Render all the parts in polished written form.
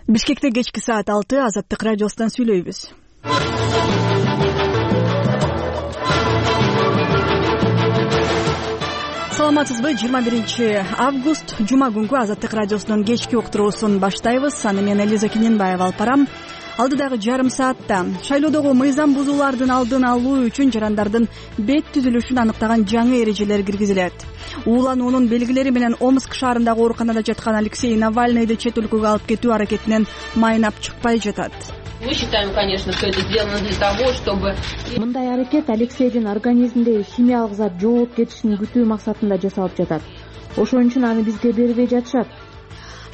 Бишкекте кечки саат 6 Азаттык радиосунан сүйлөйбүз. Саламатсызбы? 21-август жума күнгү Азаттык радиосунун кечки уктуруусун баштайбыз. Аны мен Элиза Киненбаева алып барам. Алдыдагы жарым саатта шайлоодогу мыйзам бузуулардын алдын алуу үчүн жарандардын бет түзүлүшүн аныктаган жаңы эрежелер киргизилет. Уулануунун белгилери менен Омск шаарындагы ооруканада жаткан Алексей Навальныйды чет өлкөгө алып кетүү аракетинен майнап чыкпай жатат. Мы считаем, конечно, что это сделано для того, чтобы... Мындай аракет Алексейдин организминдеги химиялык зат жоголуп кетишин күтүү максатында жасалып жатат. Ошон үчүн аны бизге бербей жатышат.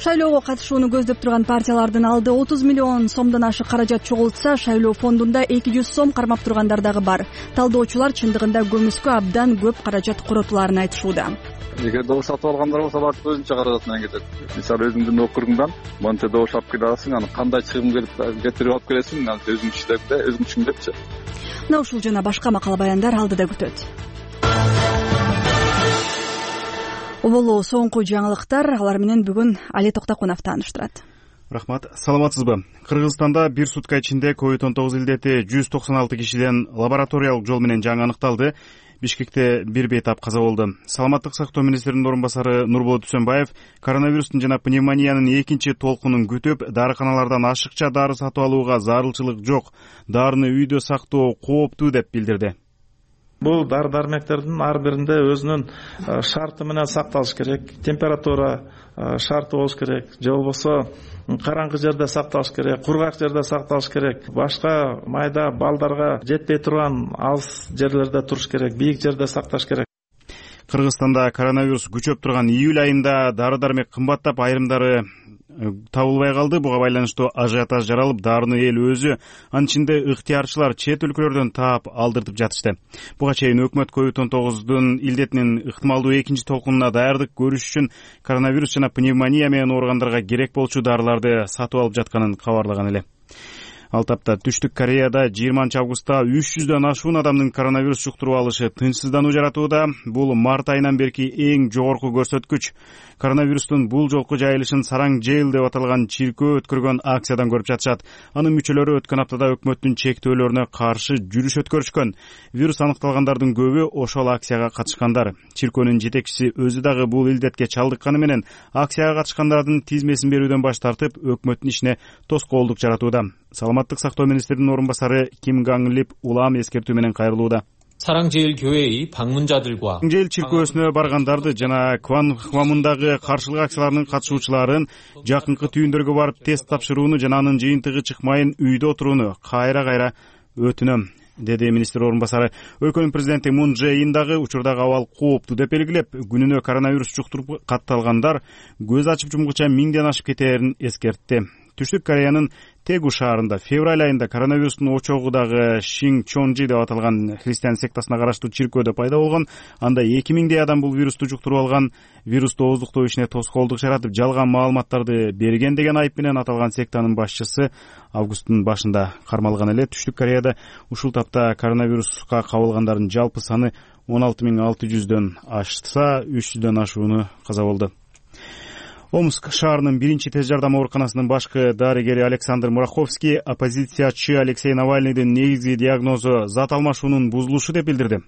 Шайлоого катышууну көздөп турган партиялардын алды 30 миллион сомдон ашык каражат чогултса, шайлоо фондунда 200 сом кармап тургандар дагы бар. Талдоочулар чындыгында көмүскө абдан көп каражат коротуларын айтышууда. Эгер добуш сатып алгандар болсо алар өзүнчө каражат менен кетет. Мисалы өзүңдүн округуңдан монте добуш алып келе аласың, аны кандай чыгым кетирип алып келесиң, аны өзүң иштеп да, өзүң түшүндүрчү. Мына ушул жана башка макала баяндар алдыда күтөт. Оболу соңку жаңылыктар, алар менен бүгүн Али Токтокунов тааныштырат. Рахмат. Саламатсызбы? Кыргызстанда бир сутка ичинде COVID-19 илдети 196 кишиден лабораториялык жол менен жаңы аныкталды. Бишкекте бир бейтап каза болду. Саламаттык сактоо министринин орун басары Нурболот Үсөнбаев коронавирустун жана пневмониянын экинчи толкунун күтүп, дарыканалардан ашыкча дары сатып алууга зарылчылык жок, дарыны үйдө сактоо кооптуу деп билдирди. Бул дары-дармектердин ар биринде өзүнүн шарты менен сакталыш керек. Температура шарты болуш керек. Же болбосо караңгы жерде сакталыш керек, кургак жерде сакталыш керек. Башка майда балдарга жетпей турган алыс жерлерде туруш керек, бийик жерде сакташ керек. Кыргызстанда коронавирус күчөп турган июль айында дары-дармек кымбаттап, айрымдары табылбай калды. Буга байланыштуу ажиотаж жаралып, дарыны эл өзү, анын ичинде ыктыярчылар чет өлкөлөрдөн таап алдыртып жатышты. Буга чейин өкмөт COVID-19 илдетинин ыктымалдуу экинчи толкунуна даярдык көрүш үчүн коронавирус жана пневмония менен ооругандарга керек болчу дарыларды сатып алып жатканын кабарлаган эле. Ал тапта Түштүк Кореяда 20-августта 300дөн ашуун адамдын коронавирус жуктуруп алышы тынчсыздануу жаратууда. Бул март айынан берки эң жогорку көрсөткүч. Коронавирустун бул жолку жайылышын Сараң Жэйл деп аталган чиркөө өткөргөн акциядан көрүп жатышат. Анын мүчөлөрү өткөн аптада өкмөттүн чектөөлөрүнө каршы жүрүш өткөрүшкөн. Вирус аныкталгандардын көбү ошол акцияга катышкандар. Чиркөөнүн жетекчиси өзү дагы бул илдетке чалдыкканы менен акцияга катышкандардын тизмесин берүүдөн баш тартып, өкмөттүн ишине тоскоолдук жаратууда. Саламаттык сактоо министринин орун басары Ким Ганглип улам эскертүү менен кайрылууда. 사랑제일 교회의 방문자들과 Жэйл чиркөөсүнө баргандарды жана Хвамундагы каршылык акцияларынын катышуучуларын жакынкы түйүндөргө барып тест тапшырууну жана анын жыйынтыгы чыкмайын үйдө отурууну кайра өтүнөм, деди министр орун басары. Өлкөнүн президенти Мун Чже Ин дагы учурдагы абал кооптуу деп белгилеп, күнүнө коронавирус жуктуруп катталгандар көз ачып жумгуча 1000ден ашып кетээрин эскертти. Түштүк Кореянын Тегу шаарында февраль айында коронавирустун очогу дагы Шин Чонжи деп аталган христиан сектасына караштуу чиркөөдө пайда болгон. Анда 2000дей адам бул вирусту жуктуруп алган. Вирусту ооздуктоо ишине тоскоолдук жаратып, жалган маалыматтарды берген деген айып менен аталган сектанын башчысы августтун башында кармалган эле. Түштүк Кореяда ушул тапта коронавируска кабылгандардын жалпы саны 16600дөн ашса, 300дөн ашууну каза болду. Омск шаарынын биринчи тез жардам ооруканасынын башкы дарыгери Александр Мураховский оппозициячы Алексей Навальныйдын негизги диагнозу зат алмашуунун бузулушу деп билдирди.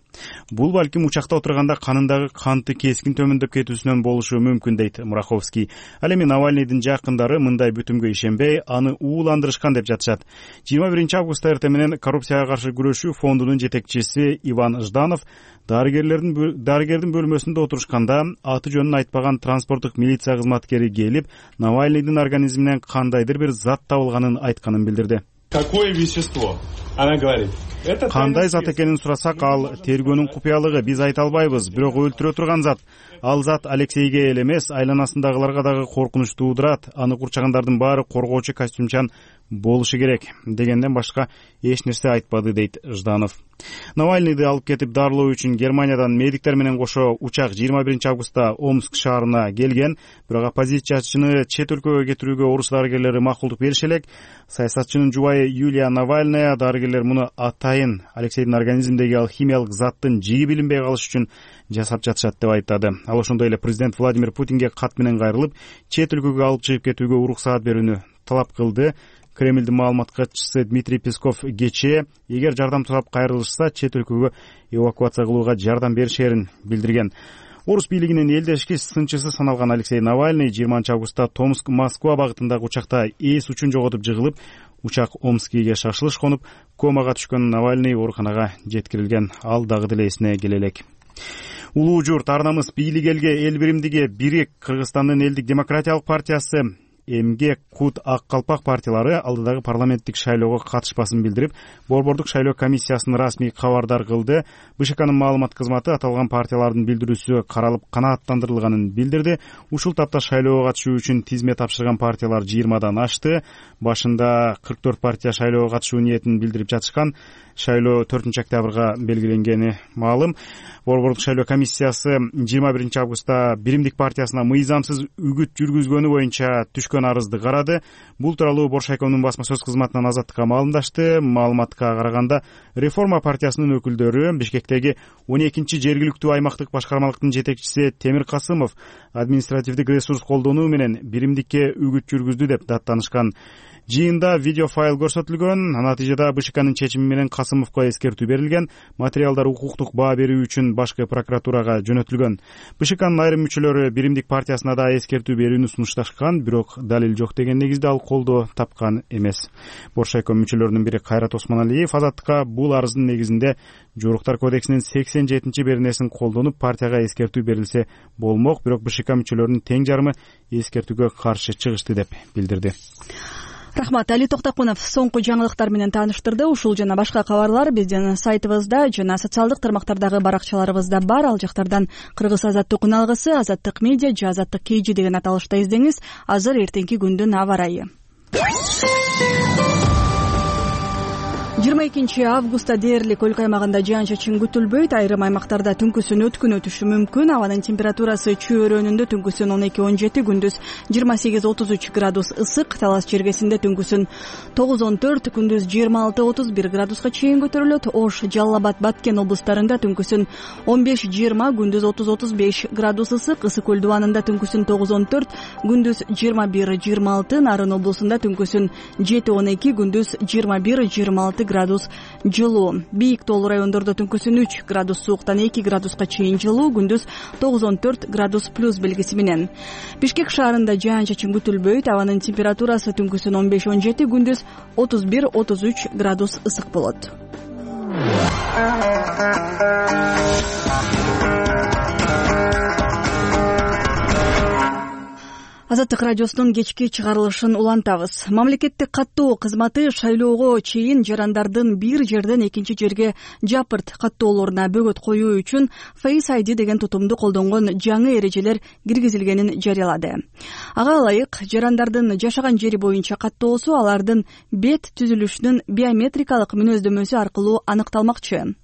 Бул балким учакта отурганда канындагы канты кескин төмөндөп кетүүсүнөн болушу мүмкүн, дейт Мураховский. Ал эми Навальныйдын жакындары мындай бүтүмгө ишенбей, аны ууландырышкан деп жатышат. 21-августта эртең менен коррупцияга каршы күрөшүү фондунун жетекчиси Иван Жданов дарыгердин бөлмөсүндө отурушканда аты жөнүн айтпаган транспорттук милиция кызматкери келип, Навальныйдын организминен кандайдыр бир зат табылганын айтканын билдирди. Какое вещество? Она говорит. Кандай зат экенин сурасак, ал тергөөнүн купуялыгы, биз айта албайбыз, бирок өлтүрө турган зат. Ал зат Алексейге эле эмес, айланасындагыларга дагы коркунуч туудурат. Аны курчагандардын баары коргоочу костюмчан болушу керек дегенден башка эч нерсе айтпады, дейт Жданов. Навальныйды алып кетип дарылоо үчүн Германиядан медиктер менен кошо учак 21-августта Омск шаарына келген, бирок оппозициячыны чет өлкөгө кетирүүгө орус дарыгерлери макулдук бериши элек. Саясатчынын жубайы Юлия Навальная дарыгерлер муну атайын Алексейдин организминдеги алхимиялык заттын жиги билинбей калыш үчүн жасап жатышат деп айтады. Ал ошондой эле президент Владимир Путинге кат менен кайрылып, чет өлкөгө алып чыгып кетүүгө уруксаат берүүнү талап кылды. Кремлдин маалымат катчысы Дмитрий Песков кечээ эгер жардам сурап кайрылышса чет өлкөгө эвакуация кылууга жардам беришерин билдирген. Орус бийлигинин элдешки сынчысы саналган Алексей Навальный 20 августта Томск-Москва багытындагы учакта эс учун жоготуп жыгылып, учак Омскиге шашылыш конуп, комага түшкөн Навальный ооруканага жеткирилген. Ал дагы деле эсине келе элек. Улуу журт ар намыс бийлик элге эл биримдиги бирик Кыргызстандын элдик демократиялык партиясы МГ Кут Ак Калпак партиялары алдыдагы парламенттик шайлоого катышпасын билдирип, борбордук шайлоо комиссиясын расмий кабардар кылды. БШКнын маалымат кызматы аталган партиялардын билдирүүсү каралып канааттандырылганын билдирди. Ушул тапта шайлоого катышуу үчүн тизме тапшырган партиялар 20дан ашты. Башында 44 партия шайлоого катышуу ниетин билдирип жатышкан. Шайлоо 4-октябрга белгиленгени маалым. Борбордук шайлоо комиссиясы 21 августта Биримдик партиясына мыйзамсыз үгүт жүргүзгөнү боюнча түшкөн арызды карады. Бул тууралуу Боршайкомдун басма сөз кызматынан Азаттыкка маалымдашты. Маалыматка караганда, Реформа партиясынын өкүлдөрү Бишкектеги 12 жергиликтүү аймактык башкармалыктын жетекчиси Темир Касымов административдик ресурс колдонуу менен Биримдикке үгүт жүргүздү деп даттанышкан. Жыйында видеофайл көрсөтүлгөн. Натыйжада БШКнын чечими менен Касымовго эскертүү берилген. Материалдар укуктук баа берүү үчүн башкы прокуратурага жөнөтүлгөн. БШКнын айрым мүчөлөрү Биримдик партиясына да эскертүү берүүнү сунушташкан, бирок далил жок деген негизде ал колдоо тапкан эмес. Боршайком мүчөлөрүнүн бири Кайрат Осмоналиев Азаттыкка бул арыздын негизинде Жоруктар кодексинин 87-беренесин колдонуп партияга эскертүү берилсе болмок, бирок БШК мүчөлөрүнүн тең жарымы эскертүүгө каршы чыгышты деп билдирди. Рахмат, Али Токтакунов соңку жаңылыктар менен тааныштырды. Ушул жана башка кабарлар биздин сайтыбызда жана социалдык тармактардагы баракчаларыбызда бар. Ал жактардан Кыргыз Азаттык уналгысы, Азаттык медиа же Азаттык KG деген аталышта издеңиз. Азыр эртеңки күндүн аба ырайы. 22 августта дээрлик өлкө аймагында жаан-чачын күтүлбөйт. Айрым аймактарда түнкүсүн өткүн өтүшү мүмкүн. Абанын температурасы чөйрөнүндө түнкүсүн 12-17, күндүз 28-33 градус ысык. Талас жергесинде түнкүсүн 9-14, күндүз 26-31 градуска чейин көтөрүлөт. Ош, Жалал Абад, Баткен облустарында түнкүсүн 15-20, күндүз 30-35 градус ысык. Ысык көл дубанында түнкүсүн 9-14, күндүз 21-26. Нарын облусунда түнкүсүн 7-12, күндүз 21-26 градус жылуу. Бийик тоолуу райондордо түнкүсүн 3 градус сууктан 2 градуска чейин жылуу, күндүз 9-14 градус плюс белгиси менен. Бишкек шаарында жаан-чачын күтүлбөйт. Абанын температурасы түнкүсүн 15-17, күндүз 31-33 градус ысык болот. Азаттык радиосунун кечки чыгарылышын улантабыз. Мамлекеттик каттоо кызматы шайлоого чейин жарандардын бир жерден экинчи жерге жапырт каттоолоруна бөгөт коюу үчүн Face ID деген тутумду колдонгон жаңы эрежелер киргизилгенин жарыялады. Ага ылайык, жарандардын жашаган жери боюнча каттоосу алардын бет түзүлүшүнүн биометрикалык мүнөздөмөсү аркылуу аныкталмакчы.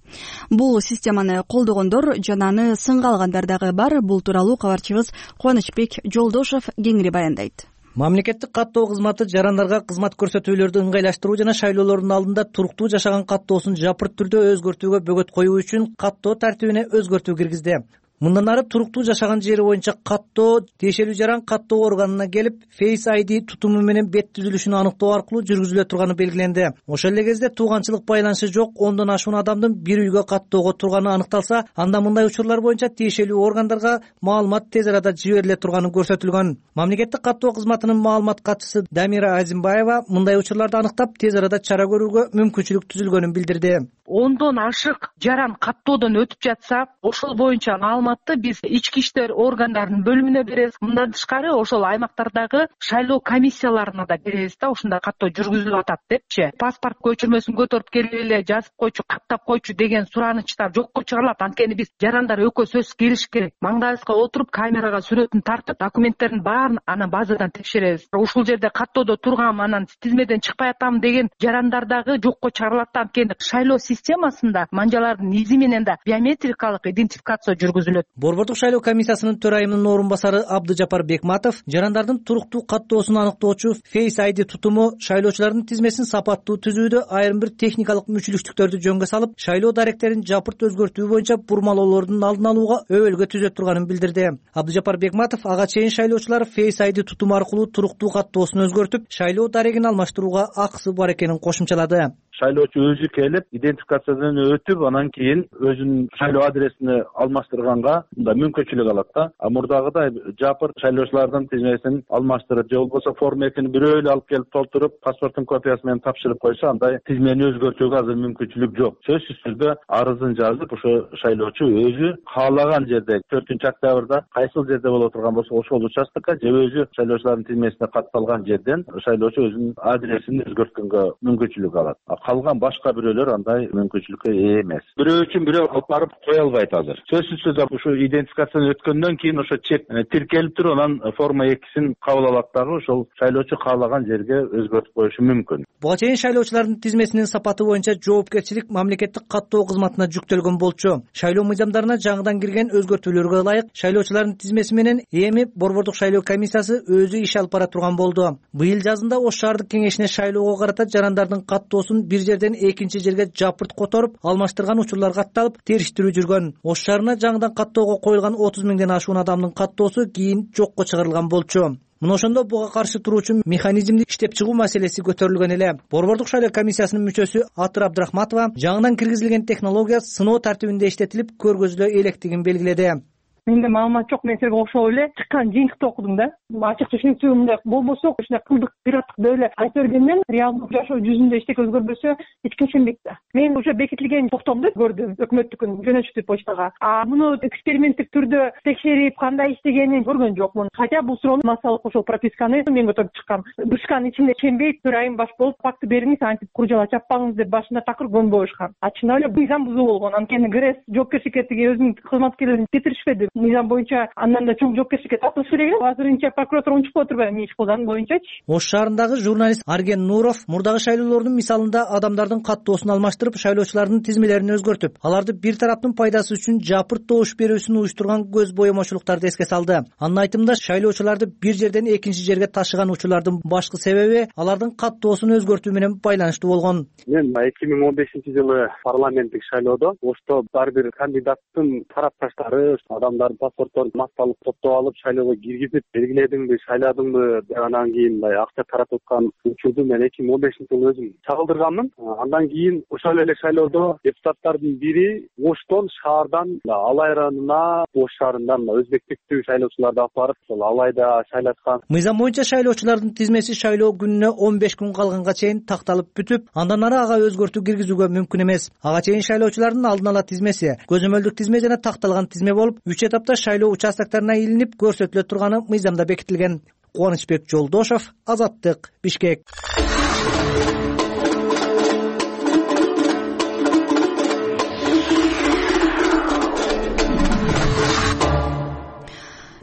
Бул системаны колдогондор жана аны сынга алгандар дагы бар. Бул тууралуу кабарчыбыз Кубанычбек Жолдошов кеңири баяндайт. Мамлекеттик каттоо кызматы жарандарга кызмат көрсөтүүлөрдү ыңгайлаштыруу жана шайлоолордун алдында туруктуу жашаган каттоосун жапырт түрдө өзгөртүүгө бөгөт коюу үчүн каттоо тартибине өзгөртүү киргизди. Мындан ары туруктуу жашаган жери боюнча каттоо тиешелүү жаран каттоо органына келип, Face ID тутуму менен бет түзүлүшүн аныктоо аркылуу жүргүзүлө турганы белгиленди. Ошол эле кезде тууганчылык байланышы жок 10дон ашуун адамдын бир үйгө каттоого турганы аныкталса, анда мындай учурлар боюнча тиешелүү органдарга маалымат тез арада жибериле турганы көрсөтүлгөн. Мамлекеттик каттоо кызматынын маалымат катчысы Дамира Азимбаева мындай учурларды аныктап, тез арада чара көрүүгө мүмкүнчүлүк түзүлгөнүн билдирди. 10дон ашык жаран каттоодон өтүп жатса, ошол боюнча маалыматты биз ички иштер органдарынын бөлүмүнө беребиз. Мындан тышкары ошол аймактардагы шайлоо комиссияларына да беребиз да, ушундай каттоо жүргүзүлүп атат депчи. Паспорт көчүрмөсүн көтөрүп келип эле жазып койчу, каттап койчу деген суранычтар жокко чыгарылат. Анткени биз жарандар экөө сөзсүз келиш керек. Маңдайыбызга отуруп, камерага сүрөтүн тартып, документтердин баарын анан базадан текшеребиз. Ушул жерде каттоодо тургам, анан тизмеден чыкпай атам деген жарандар дагы жокко чыгарылат. Анткени шайлоо системасында манжалардын изи менен да биометрикалык идентификация жүргүзүлөт. келет. Борбордук шайлоо комиссиясынын төрайымынын орун басары Абдыжапар Бекматов жарандардын туруктуу каттоосун аныктоочу Face ID тутуму шайлоочулардын тизмесин сапаттуу түзүүдө айрым бир техникалык мүчүлүктүктөрдү жөнгө салып, шайлоо даректерин жапырт өзгөртүү боюнча бурмалоолордун алдын алууга өбөлгө түзөт турганын билдирди. Абдыжапар Бекматов ага чейин шайлоочулар Face ID тутуму аркылуу туруктуу каттоосун өзгөртүп, шайлоо дарегин алмаштырууга акысы бар экенин кошумчалады. Шайлоочу өзү келип, идентификациядан өтүп, анан кийин өзүнүн шайлоо адресин алмаштырганга мындай мүмкүнчүлүк алат да. Мурдагыдай жапырт шайлоочулардын тизмесин алмаштырып, же болбосо форма 2-ни бирөө эле алып келип толтуруп, паспорттун копиясы менен тапшырып койсо, андай тизмени өзгөртүүгө азыр мүмкүнчүлүк жок. Сөзсүз түрдө арызын жазып, ошо шайлоочу өзү каалаган жерде 4-октябрда кайсыл жерде боло турган болсо, ошол участокко же өзү шайлоочулардын тизмесине катталган жерден шайлоочу өзүнүн адресин өзгөрткөнгө мүмкүнчүлүк алат. Калган башка бирөөлөр андай мүмкүнчүлүккө ээ эмес. Бирөө үчүн бирөө алып барып кое албайт азыр. Сөзсүз түрдө ушу идентификациядан өткөндөн кийин ошо чек тиркелип туруп, анан форма 2-син кабыл алат дагы ошол шайлоочу каалаган жерге өзгөртүп коюшу мүмкүн. Буга чейин шайлоочулардын тизмесинин сапаты боюнча жоопкерчилик мамлекеттик каттоо кызматына жүктөлгөн болчу. Шайлоо мыйзамдарына жаңыдан кирген өзгөртүүлөргө ылайык шайлоочулардын тизмеси менен эми Борбордук шайлоо комиссиясы өзү иш алып бара турган болду. Быйыл жазында Ош шаардык кеңешине шайлоого карата жарандардын каттоосун бир жерден экинчи жерге жапырт которуп, алмаштырган учурлар катталып, териштирүү жүргөн. Ош шаарына жаңыдан каттоого коюлган 30 миңден ашуун адамдын каттоосу кийин жокко чыгарылган болчу. Мына ошондо буга каршы туруучу механизмди иштеп чыгуу маселеси көтөрүлгөн эле. Борбордук шайлоо комиссиясынын мүчөсү Атыр Абдрахматова жаңыдан киргизилген технология сыноо тартибинде иштетилип, көргөзүлө электигин белгиледи. Менде маалымат жок, мен силерге окшоп эле чыккан жыйынтыкты окудум да. Ачык түшүнүктүү мындай болбосо, ушундай кылдык пираттык деп эле айта бергенден реалдуу жашоо жүзүндө эчтеке өзгөрбөсө эч ким ишенбейт да. Мен уже бекитилген токтомду көрдүм, өкмөттүкүн жөнөтүштү почтага. Муну эксперименттик түрдө текшерип, кандай иштегенин көргөн жокмун. Хотя бул суроону массалык ошол прописканы мен көтөрүп чыккам. Душкан ичинде ишенбейт, төрайым баш болуп факты бериңиз, антип куржала чаппаңыз деп башында такыр көнбөйүшкан. Чын эле мыйзам бузуу болгон. Анткени ГРЭС жоопкерчиликке өзүнүн кызматкерлерин кетиришпеди. Мыйзам боюнча андан да чоң жоопкерчиликке тартылыш керек эле. Азырынча прокуратура унчуп отурбайбы эмне иш кылган боюнчачы. Ош шаарындагы журналист Арген Нуров мурдагы шайлоолордун мисалында адамдардын каттоосун алмаштырып, шайлоочулардын тизмелерин өзгөртүп, аларды бир тараптын пайдасы үчүн жапырт добуш берүүсүн уюштурган көз боемочулуктарды эске салды. Анын айтымында шайлоочуларды бир жерден экинчи жерге ташыган учурлардын башкы себеби алардын каттоосун өзгөртүү менен байланыштуу болгон. Мен 2015-жылы парламенттик шайлоодо Ошто ар бир кандидаттын тарапташтары адамдардын паспортторун массалык топтоп алып шайлоого киргизип белгиледиңби, шайладыңбы деп анан кийин мындай акча таратып аткан учурду мен 2015-жылы өзүм чагылдырганмын. Андан кийин ошол эле шайлоодо депутаттардын бири Оштон шаардан Алай районуна, Ош шаарынан өзбек типтүү шайлоочуларды алып барып, ошол Алайда шайлаткан. Мыйзам боюнча шайлоочулардын тизмеси шайлоо күнүнө 15 күн калганга чейин такталып бүтүп, андан ары ага өзгөртүү киргизүүгө мүмкүн эмес. Ага чейин шайлоочулардын алдын ала тизмеси, көзөмөлдүк тизме жана такталган тизме болуп, 3 этапта шайлоо участокторуна илинип көрсөтүлө турганы мыйзамда бекитилген. Кубанычбек Жолдошов, Азаттык, Бишкек.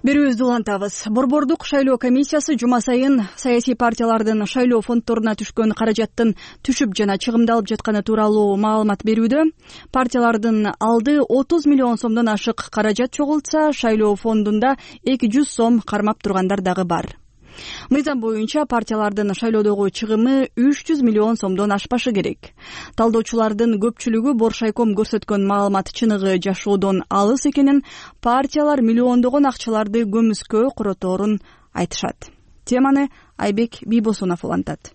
Берүүбүздү улантабыз. Борбордук шайлоо комиссиясы жума сайын саясий партиялардын шайлоо фонддоруна түшкөн каражаттын түшүп жана чыгымдалып жатканы тууралуу маалымат берүүдө. Партиялардын алды 30 миллион сомдон ашык каражат чогултса, шайлоо фондунда 200 сом кармап тургандар дагы бар. Мыйзам боюнча партиялардын шайлоодогу чыгымы 300 миллион сомдон ашпашы керек. Талдоочулардын көпчүлүгү Боршайком көрсөткөн маалымат чыныгы жашоодон алыс экенин, партиялар миллиондогон акчаларды көмүскө куроторун айтышат. Теманы Айбек Бийбосунов улантат.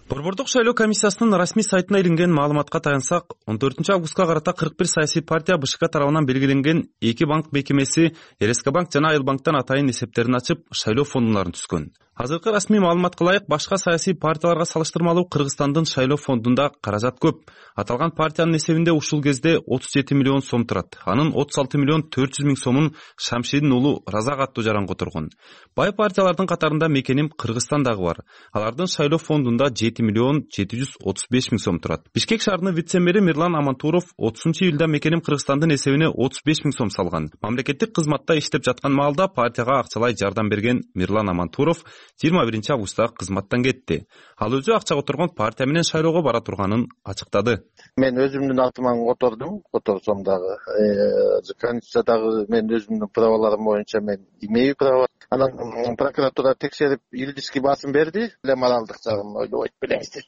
Борбордук шайлоо комиссиясынын расмий сайтына илинген маалыматка таянсак, 14-августка карата 41 саясий партия БШК тарабынан белгиленген 2 банк мекемеси РСК банк жана Айыл банктан атайын эсептерин ачып, шайлоо фондуна түскөн. Азыркы расмий маалыматка ылайык башка саясий партияларга салыштырмалуу Кыргызстандын шайлоо фондунда каражат көп. Аталган партиянын эсебинде ушул кезде 37 миллион сом турат. Анын 36 миллион 400 миң сомун Шамшидин уулу Разак аттуу жаран которгон. Бай партиялардын катарында Мекеним Кыргызстан дагы бар. Алардын шайлоо фондунда 7 миллион 735 миң сом турат. Бишкек шаарынын вице-мэри Мирлан Амантуров 30-июлда Мекеним Кыргызстандын эсебине 35 миң сом салган. Мамлекеттик кызматта иштеп жаткан маалда партияга акчалай жардам берген Мирлан Амантуров 21 августта кызматтан кетти. Ал өзү акча которгон партия менен шайлоого бара турганын ачыктады. Мен өзүмдүн атыма которсом дагы Конституциядагы мен өзүмдүн праваларым боюнча мен имею право. Анан прокуратура текшерип юридический басым берди. Моралдык жагын ойлобойт белеңиз деди.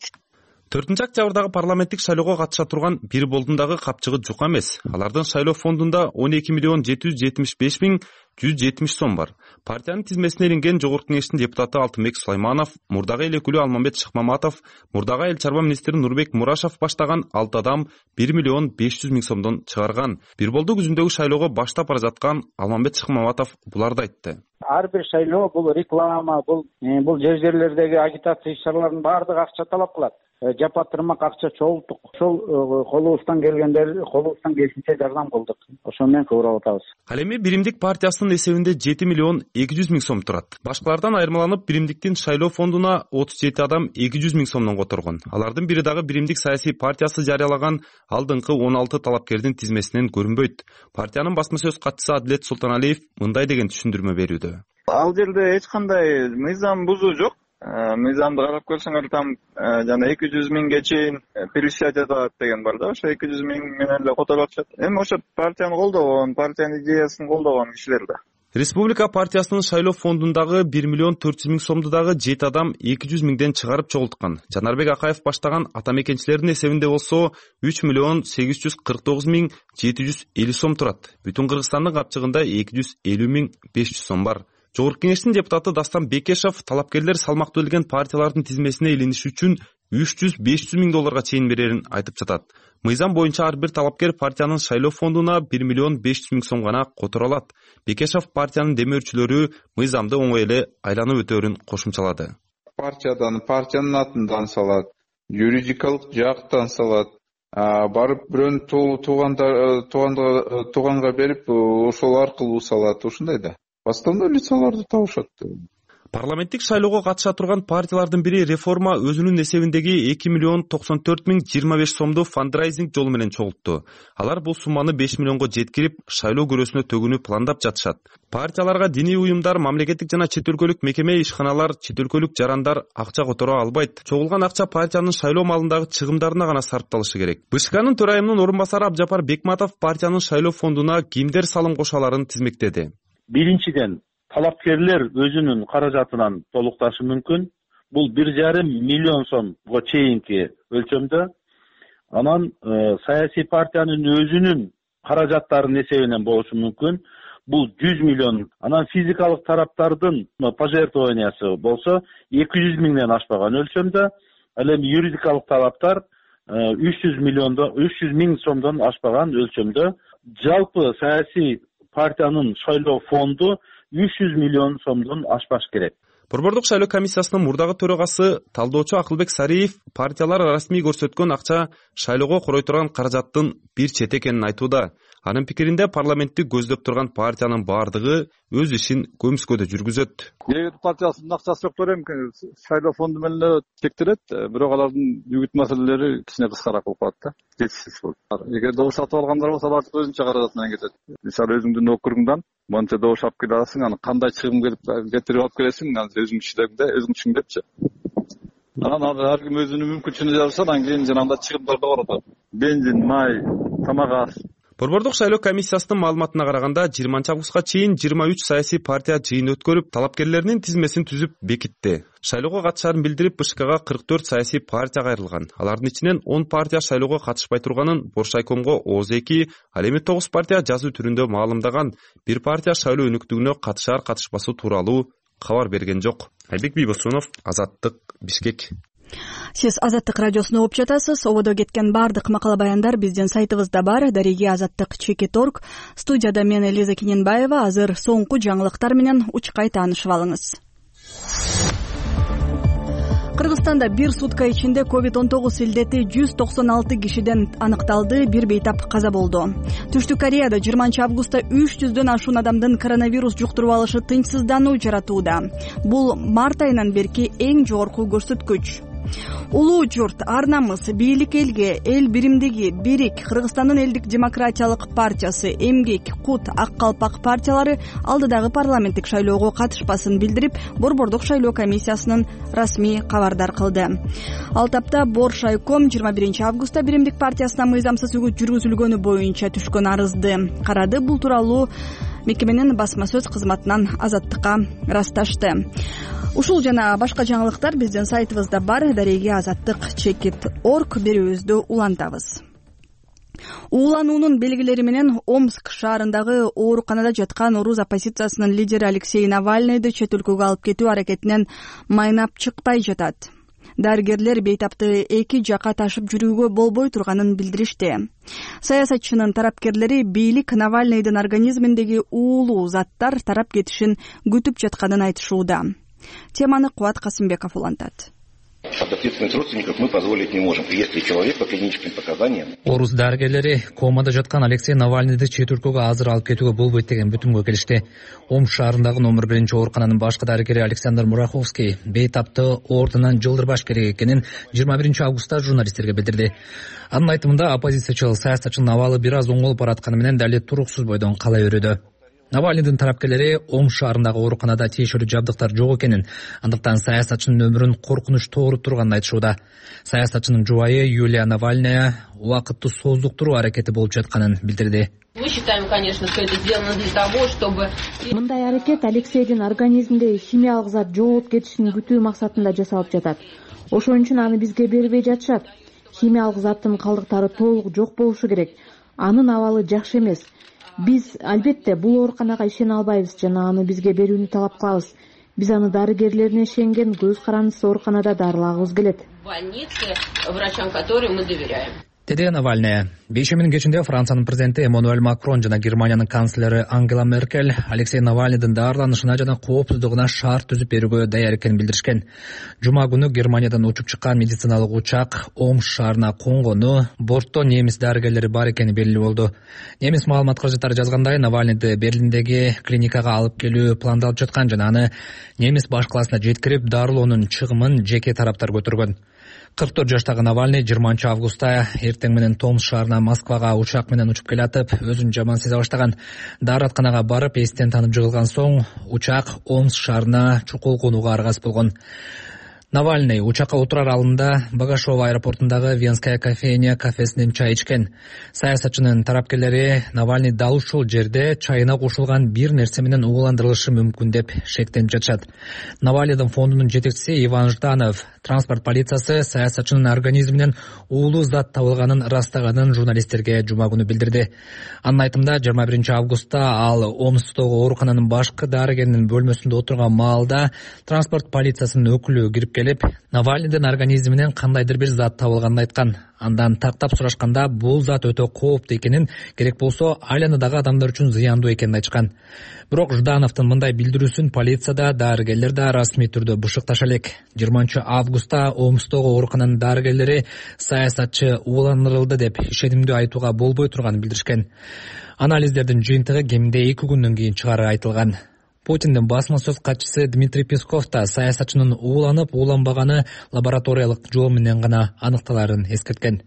4-октябрдагы парламенттик шайлоого катыша турган бир болдун дагы капчыгы жок эмес. Алардын шайлоо фондунда 12.775.170 сом бар. Партиянын тизмесине илинген Жогорку Кеңештин депутаты Алтынбек Сулайманов, мурдагы эл өкүлү Алмамбет Шыкмаматов, мурдагы эл чарба министри Нурбек Мурашев баштаган 6 адам 1.500.000 сомдон чыгарган. Бир болду күзүндөгү шайлоого баштап бара жаткан Алмамбет Шыкмаматов буларды айтты. Ар бир шайлоо бул реклама, бул жерлердеги агитация иш-чараларынын баардыгы акча талап кылат. Жапатырмак акча чогулттук. Ошол колубуздан келишинче жардам кылдык. Ошо менен көбүрөөк атабыз. Ал эми Биримдик партиясынын эсебинде 7.200.000 сом турат. Башкалардан айырмаланып, Биримдиктин шайлоо фондуна 37 адам 200.000 сомдон которгон. Алардын бири дагы Биримдик саясий партиясы жарыялаган алдыңкы 16 талапкердин тизмесинен көрүнбөйт. Партиянын басма сөз катчысы Адилет Султаналиев мындай деген түшүндүрмө берүүдө. Ал жерде эч кандай мыйзам бузуу жок. Мыйзамды карап көрсөңөр там жана 200.000ге чейин перечислять этет деген бар да, ошо 200.000 менен эле которуп атышат. Эми ошо партияны колдогон, партиянын идеясын колдогон кишилер да. Республика партиясынын шайлоо фондундагы 1.400.000 сомду дагы 7 адам 200.000ден чыгарып чогулткан. Жанарбек Акаев баштаган ата мекенчилердин эсебинде болсо 3.849.750 сом турат. Бүтүн Кыргызстандын капчыгында 250.500 сом бар. Жогорку Кеңештин депутаты Дастан Бекешев талапкерлер салмактуу келген партиялардын тизмесине илиниш үчүн 300-500 миң долларга чейин берерин айтып жатат. Мыйзам боюнча ар бир талапкер партиянын шайлоо фондуна 1.500.000 сом гана которо алат. Бекешев партиянын демөөрчүлөрү мыйзамды оңой эле айланып өтөөрүн кошумчалады. Партиянын атынан салат, юридикалык жактан салат, барып бирөөнүн тууганга берип, ошол аркылуу салат, ушундай да. Бастанда лицаларды табышат. Парламенттик шайлоого катыша турган партиялардын бири Реформа өзүнүн эсебиндеги 2.094.025 сомду фандрайзинг жолу менен чогултту. Алар бул сумманы 5 миллионго жеткирип, шайлоо көрөсүнө төгүүнү пландап жатышат. Партияларга диний уюмдар, мамлекеттик жана чет өлкөлүк мекеме ишканалар, чет өлкөлүк жарандар акча которо албайт. Чогулган акча партиянын шайлоо малындагы чыгымдарына гана сарпталышы керек. БШКнын төрайымынын орун басары Абжапар Бекматов партиянын шайлоо фондуна кимдер салым кошо аларын тизмектеди. Биринчиден, талапкерлер өзүнүн каражатынан толукташы мүмкүн. Бул 1,5 миллион сомго чейинки өлчөмдө. Анан саясий партиянын өзүнүн каражаттарынын эсебинен болушу мүмкүн. Бул 100 миллион. Анан физикалык тараптардын пожертвованиясы болсо 200 миңден ашпаган өлчөмдө. Ал эми юридикалык талаптар 300 миң сомдон ашпаган өлчөмдө. Жалпы саясий партиянын шайлоо фонду 300 миллион сомдон ашпаш керек. Борбордук шайлоо комиссиясынын мурдагы төрагасы талдоочу Акылбек Сариев партиялар расмий көрсөткөн акча шайлоого корой турган каражаттын бир чет экенин айтууда. Анын пикиринде парламентти көздөп турган партиянын баардыгы өз ишин көмүскөдө жүргүзөт. Эгер партиясынын акчасы жоктор эми шайлоо фонду менен эле тектирет, бирок алардын бүгүт маселелери кичине кыскараак болуп калат да. Жетишсиз болуп. Эгер добуш сатып алгандар болсо алар өзүнчө каражат менен кетет. Мисалы өзүңдүн округуңдан монча добуш алып келе аласың, аны кандай чыгым кетирип алып келесиң, аны өзүң иштегенде өзүң түшүнгөпчү. Анан ар ким өзүнүн мүмкүнчүлүгүнө жараша анан кийин жанагындай чыгымдар да бар атат. Бензин, май, тамак аш. Борбордук шайлоо комиссиясынын маалыматына караганда 20 августка чейин 23 саясий партия жыйын өткөрүп, талапкерлеринин тизмесин түзүп бекитти. Шайлоого катышаарын билдирип, БШКга 44 саясий партия кайрылган. Алардын ичинен 10 партия шайлоого катышпай турганын Боршайкомго ооз-2, ал эми 9 партия жазуу түрүндө маалымдаган. Бир партия шайлоо өнүктүгүнө катышаар катышпасуу тууралуу кабар берген жок. Айбек Бийбосунов, Азаттык, Бишкек. Сиз Азаттык радиосуна угуп жатасыз. Ободо кеткен бардык макала баяндар биздин сайтыбызда бар. Дареги Азаттык.org. Студияда мен Лиза Киненбаева. Азыр соңку жаңылыктар менен учкай таанышып алыңыз. Кыргызстанда бир сутка ичинде COVID-19 илдети 196 кишиден аныкталды, бир бейтап каза болду. Түштүк Кореяда 20 августта 300дөн ашуун адамдын коронавирус жуктуруп алышы тынчсыздануу жаратууда. Бул март айынан берки эң жогорку көрсөткүч. Улуу журт, ар намыс, бийлик элге, эл биримдиги, бирик, Кыргызстандын элдик демократиялык партиясы, эмгек, кут, ак калпак партиялары алдыдагы парламенттик шайлоого катышпасын билдирип, Борбордук шайлоо комиссиясынын расмий кабардар кылды. Ал тапта Боршайком 21 августта биримдик партиясына мыйзамсыз үгүт жүргүзүлгөнү боюнча түшкөн арызды карады. Бул тууралуу мекеменин басма сөз кызматынан Азаттыкка ырасташты. Ушул жана башка жаңылыктар биздин сайтыбызда бар. Дареги Азаттык.org берүүбүздү улантабыз. Уулануунун белгилери менен Омск шаарындагы ооруканада жаткан Орус оппозициясынын лидери Алексей Навальныйды чет өлкөгө алып кетүү аракетинен майнап чыкпай жатат. Дарыгерлер бейтапты эки жака ташып жүрүүгө болбой турганын билдиришти. Саясатчынын тарапкерлери бийлик Навальныйдын организминдеги уулуу заттар тарап кетишин күтүп жатканын айтышууда. Теманы Кубат Касымбеков улантат. Ответственность родственников мы позволить не можем. Если человек по клиническим показаниям. Орус дарыгерлери комада жаткан Алексей Навальныйды чет өлкөгө азыр алып кетүүгө болбойт деген бүтүмгө келишти. Омск шаарындагы номер 1 оорукананын башкы дарыгери Александр Мураховский бейтапты ордунан жылдырбаш керек экенин 21 августта журналисттерге билдирди. Анын айтымында оппозициячыл саясатчынын абалы бир аз оңолуп баратканы менен дали туруксуз бойдон кала берүүдө. Навальныйдын тарапкерлери Омск шаарындагы ооруканада тиешелүү жабдыктар жок экенин, андыктан саясатчынын өмүрүн коркунуч тооруп турганын айтышууда. Саясатчынын жубайы Юлия Навальная убакытты создуктуруу аракети болуп жатканын билдирди. Мы считаем, конечно, что это сделано для того, чтобы... Мындай аракет Алексейдин организминде химиялык зат жоголуп кетишин күтүү максатында жасалып жатат. Ошон үчүн аны бизге бербей жатышат. Химиялык заттын калдыктары толук жок болушу керек. Анын абалы жакшы эмес. Биз албетте бул ооруканага ишене албайбыз жана аны бизге берүүнү талап кылабыз. Биз аны дарыгерлерине ишенген көз карандысыз ооруканада дарылагыбыз келет. В больнице врачам, которым мы доверяем. Деди Навальная. Бейшеминин кечинде Франциянын президенти Эммануэль Макрон жана Германиянын канцлери Ангела Меркель Алексей Навальныйдын даарыланышына жана коопсуздугуна шарт түзүп берүүгө даяр экенин билдиришкен. Жума күнү Германиядан учуп чыккан медициналык учак Омск шаарына конгону, бортто немис дарыгерлери бар экени белгилүү болду. Немис маалымат каражаттары жазгандай, Навальныйды Берлиндеги клиникага алып келүү пландалып жаткан жана аны немис баш калаасына жеткирип дарылоонун чыгымын жеке тараптар көтөргөн. 44 жаштагы Навальный 20 августта эртең менен Томск шаарына Москвага учак менен учуп келатып, өзүн жаман сезе баштаган. Дааратканага барып, эстен танып жыгылган соң учак Омск шаарына чукул конууга аргасыз болгон. Навальный учакка отурар алдында Багашова аэропортундагы Венская кофейня кафесинен чай ичкен. Саясатчынын тарапкерлери Навальный дал ушул жерде чайына кошулган бир нерсе менен ууландырылышы мүмкүн деп шектенип жатышат. Навальныйдын фондунун жетекчиси Иван Жданов транспорт полициясы саясатчынын организминен уулуу зат табылганын ырастаганын журналисттерге жума күнү билдирди. Анын айтымында 21 августта ал Омсктогу оорукананын башкы дарыгеринин бөлмөсүндө отурган маалда транспорт полициясынын өкүлү кирип келип, Навальныйдын организминен кандайдыр бир зат табылганын айткан. Андан тактап сурашканда бул зат өтө кооптуу экенин, керек болсо айланадагы адамдар үчүн зыяндуу экенин айтышкан. Бирок Ждановдун мындай билдирүүсүн полицияда, дарыгерлер да расмий түрдө бышыкташа элек. 20 августта Омсктогу оорукананын дарыгерлери саясатчы ууландырылды деп ишенимдүү айтууга болбой турганын билдиришкен. Анализдердин жыйынтыгы кеминде 2 күндөн кийин чыгары айтылган. Путиндин басма сөз катчысы Дмитрий Песков да саясатчынын ууланып, ууланбаганы лабораториялык жол менен гана аныкталарын эскерткен.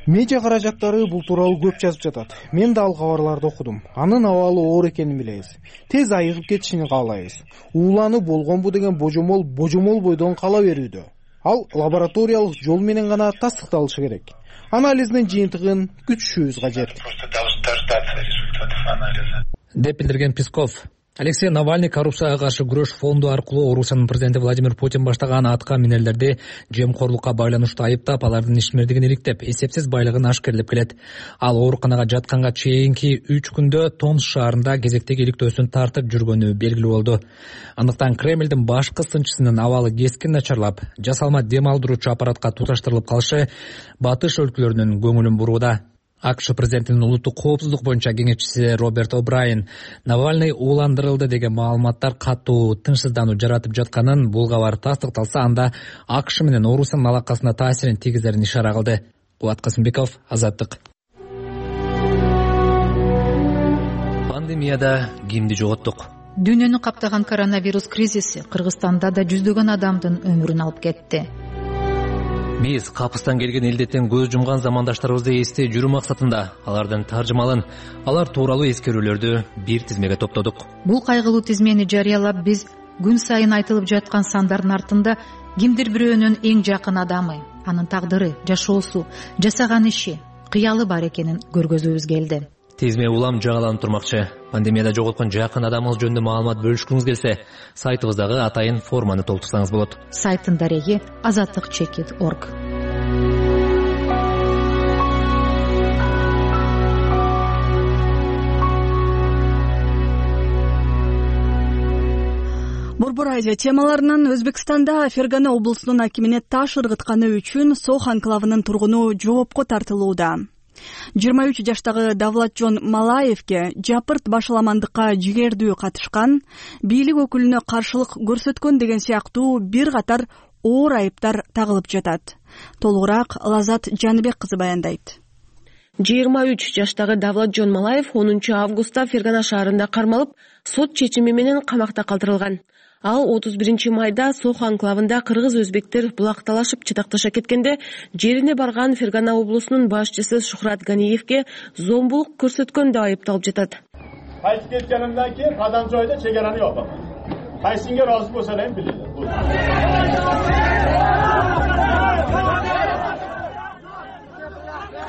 Медиа каражаттары бул тууралуу көп жазып жатат. Мен да ал кабарларды окудум. Анын абалы оор экенин билебиз. Тез айыгып кетишин каалайбыз. Ууланып болгонбу деген божомол бойдон кала берүүдө. Ал лабораториялык жол менен гана тастыкталышы керек. Анализдин жыйынтыгын күтүшүбүз кажет. Деп билдирген Песков. Алексей Навальный коррупцияга каршы күрөш фонду аркылуу Орусиянын президенти Владимир Путин баштаган атка минерлерди жемкорлукка байланыштуу айыптап, алардын ишмердигин иликтеп, эсепсиз байлыгын ашкерлеп келет. Ал ооруканага жатканга чейинки 3 күндө Томск шаарында кезектеги иликтөөсүн тартып жүргөнү белгилүү болду. Андыктан Кремлдин башкы сынчысынын абалы кескин начарлап, жасалма дем алдыруучу аппаратка туташтырылып калышы батыш өлкөлөрүнүн көңүлүн бурууда. АКШ президентинин улуттук коопсуздук боюнча кеңешчиси Роберт О'Брайен Навальный ууландырылды деген маалыматтар катуу тынчсыздануу жаратып жатканын, бул кабар тастыкталса, анда АКШ менен Орусиянын алакасына таасирин тийгизерин ишара кылды. Кубат Касымбеков, Азаттык. Пандемияда кимди жоготтук? Дүйнөнү каптаган коронавирус кризиси Кыргызстанда да жүздөгөн адамдын өмүрүн алып кетти. Биз капыстан келген илдеттен көз жумган замандаштарыбызды эстей жүрүү максатында алардын таржымалын, алар тууралуу эскерүүлөрдү бир тизмеге топтодук. Бул кайгылуу тизмени жарыялап, биз күн сайын айтылып жаткан сандардын артында кимдир бирөөнүн эң жакын адамы, анын тагдыры, жашоосу, жасаган иши, кыялы бар экенин көргөзүүбүз келди. Тизме улам жагаланып турмакчы. Пандемияда жоготкон жакын адамыңыз жөнүндө маалымат бөлүшкүңүз келсе, сайтыбыздагы атайын форманы толтурсаңыз болот. Сайттын дареги azatlyk.org. Борбор Азия темаларынан Өзбекстанда Фергана облусунун акимине таш ыргытканы үчүн Сох анклавынын тургуну жоопко тартылууда. 23 жаштагы Давлатжон Малаевке жапырт башаламандыкка жигердүү катышкан, бийлик өкүлүнө каршылык көрсөткөн деген сыяктуу бир катар оор айыптар тагылып жатат. Толугураак Лазат Жаныбек кызы баяндайт. 23 жаштагы Давлатжон Малаев 10 августта Фергана шаарында кармалып, сот чечими менен камакта калтырылган. Ал 31 майда Сох анклавында кыргыз-өзбектер булакталашып чатакташа кеткенде жерине барган Фергана облусунун башчысы Шухрат Ганиевке зомбулук көрсөткөн деп айыпталып жатат. Кайтып кеткенимден кийин кадам жойдо чегараны жок. Кайсыңга ыраазы болсо эле билет.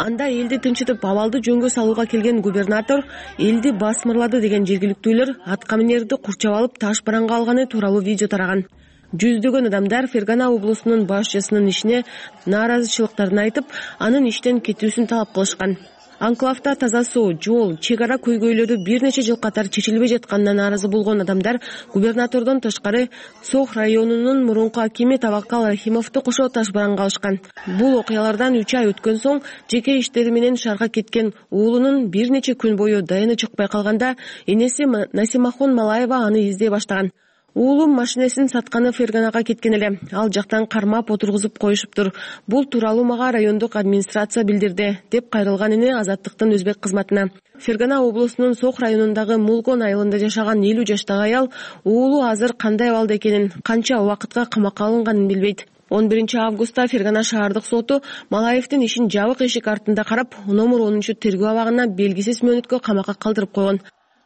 Анда элди тынчытып абалды жөнгө салууга келген губернатор элди басмырлады деген жергиликтүүлөр атка минерди курчап алып таш бараңга алганы тууралуу видео тараган. Жүздөгөн адамдар Фергана облусунун башчысынын ишине нааразычылыктарын айтып, анын иштен кетүүсүн талап кылышкан. Анклавда таза суу, жол, чек ара көйгөйлөрү бир нече жыл катар чечилбей жатканына нааразы болгон адамдар губернатордон тышкары Сох районунун мурунку акими Таваккал Рахимовду кошо таш бараңга алышкан. Бул окуялардан 3 ай өткөн соң жеке иштери менен шаарга кеткен уулунун бир нече күн бою дайыны чыкпай калганда энеси Насимахон Малаева аны издей баштаган. Уулум машинесин сатканы Ферганага кеткен эле. Ал жактан кармап отургузуп коюшуптур. Бул тууралуу мага райондук администрация билдирди, деп кайрылган эне Азаттыктын өзбек кызматына. Фергана облусунун Сох районундагы Мулгон айылында жашаган 50 жаштагы аял уулу азыр кандай абалда экенин, канча убакытка камакка алынганын билбейт. 11 августта Фергана шаардык соту Малаевдин ишин жабык эшик артында карап, номер 10 тергөө абагына белгисиз мөөнөткө камакка калтырып койгон.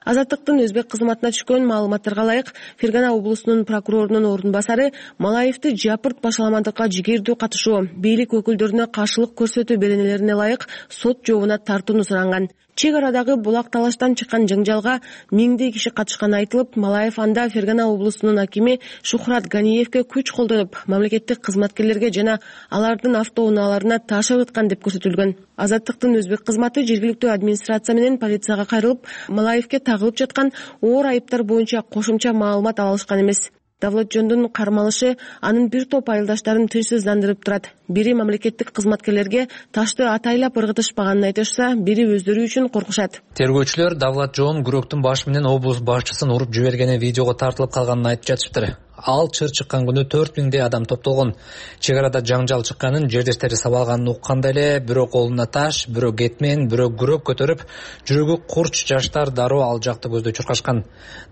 Азаттыктын өзбек кызматына түшкөн маалыматтарга ылайык, Фергана облусунун прокурорунун ордун басары Малаевди жапырт башаламандыкка жигердүү катышуу, бийлик өкүлдөрүнө каршылык көрсөтүү беренелерине ылайык сот жообуна тартууну суранган. Чек арадагы булак талаштан чыккан жаңжалга миңдей киши катышканы айтылып, Малаев анда Фергана облусунун акими Шухрат Ганиевке күч колдонуп, мамлекеттик кызматкерлерге жана алардын автоунааларына таш ыргыткан деп көрсөтүлгөн. Азаттыктын өзбек кызматы жергиликтүү администрация менен полицияга кайрылып, Малаевке тагылып жаткан оор айыптар боюнча кошумча маалымат алышкан эмес. Давлатжондун кармалышы анын бир топ айылдаштарын тынчсыздандырып турат. Бири мамлекеттик кызматкерлерге ташты атайлап ыргытышпаганын айтышса, бири өздөрү үчүн коркушат. Тергөөчүлөр Давлатжон күрөктүн башы менен облус башчысын уруп жибергени видеого тартылып калганын айтып жатышыптыр. Ал чыр чыккан күнү 4000 адам топтолгон. Чек арада жаңжал чыкканын, жердештери сабалганын укканда эле бирөө колуна таш, бирөө кетмен, бирөө күрөк көтөрүп, жүрөгү курч жаштар дароо ал жакты көздөй чуркашкан.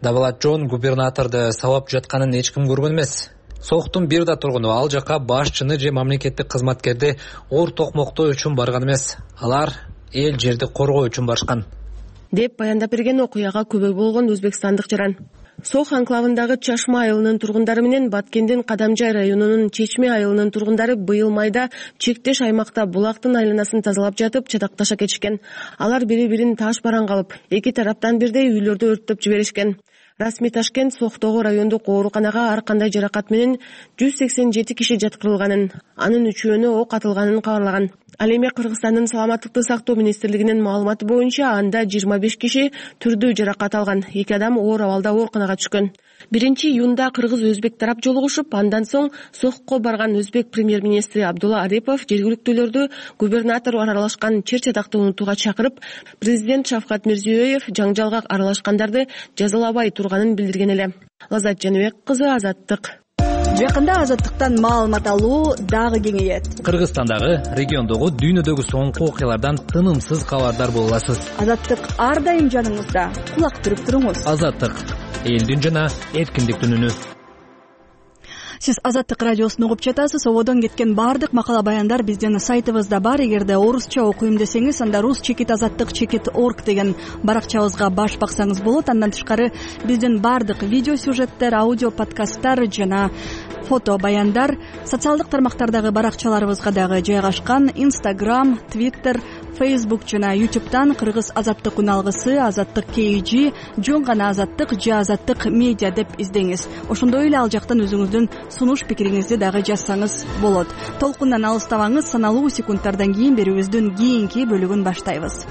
Давлатжон губернаторду сабап жатканын эч ким көргөн эмес. Сохтун бир да тургуну ал жака башчыны же мамлекеттик кызматкерди оор токмоктоо үчүн барган эмес. Алар эл жерди коргоо үчүн барышкан, деп баяндап берген окуяга күбө болгон өзбекстандык жаран. Сох анклавындагы Чашма айылынын тургундары менен Баткендин Кадамжай районунун Чечме айылынын тургундары быйыл майда чектеш аймакта булактын айланасын тазалап жатып чатакташа кетишкен. Алар бири-бирин таш бараңга алып, эки тараптан бирдей үйлөрдү өрттөп жиберишкен. Расмий Ташкент Сохтогу райондук ооруканага ар кандай жаракат менен 187 киши жаткырылганын, анын 3-өөнө ок атылганын кабарлаган. Ал эми Кыргызстандын саламаттыкты сактоо министрлигинин маалыматы боюнча анда 25 киши түрдүү жаракат алган, 2 адам оор абалда ооруканага түшкөн. 1-июнда кыргыз-өзбек тарап жолугушуп, андан соң Сохко барган өзбек премьер-министри Абдулла Арипов жергиликтүүлөрдү губернатор аралашкан чер чатакты унутууга чакырып, президент Шавкат Мирзиёев жаңжалга аралашкандарды жазалабай турганын билдирген эле. Лазат Жаныбек кызы, Азаттык. Жакында Азаттыктан маалымат алуу дагы кеңейет. Кыргызстандагы, региондогу, дүйнөдөгү соңку окуялардан тынымсыз кабардар боло аласыз. Азаттык ар дайым жаныңызда. Кулак түрүп туруңуз. Азаттык элдин жана эркиндиктин үнү. Сиз Азаттык радиосун угуп жатасыз. Ободон кеткен баардык макала баяндар биздин сайтыбызда бар. Эгерде орусча окуйм десеңиз, анда rus-azattik.org деген баракчабызга баш баксаңыз болот. Андан тышкары биздин баардык видео сюжеттер, аудио подкасттар жана фото баяндар социалдык тармактардагы баракчаларыбызга дагы жайгашкан. Instagram, Twitter, Facebook жана YouTube'дан Кыргыз Азаттык үналгысы, Азаттык KG, жөн гана Азаттык же Азаттык медиа деп издеңиз. Ошондой эле ал жактан өзүңүздүн сунуш пикириңизди дагы жазсаңыз болот. Толкундан алыстабаңыз, саналуу секундтардан кийин берүүбүздүн кийинки бөлүгүн баштайбыз.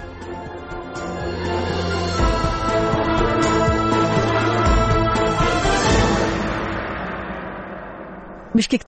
Бишкек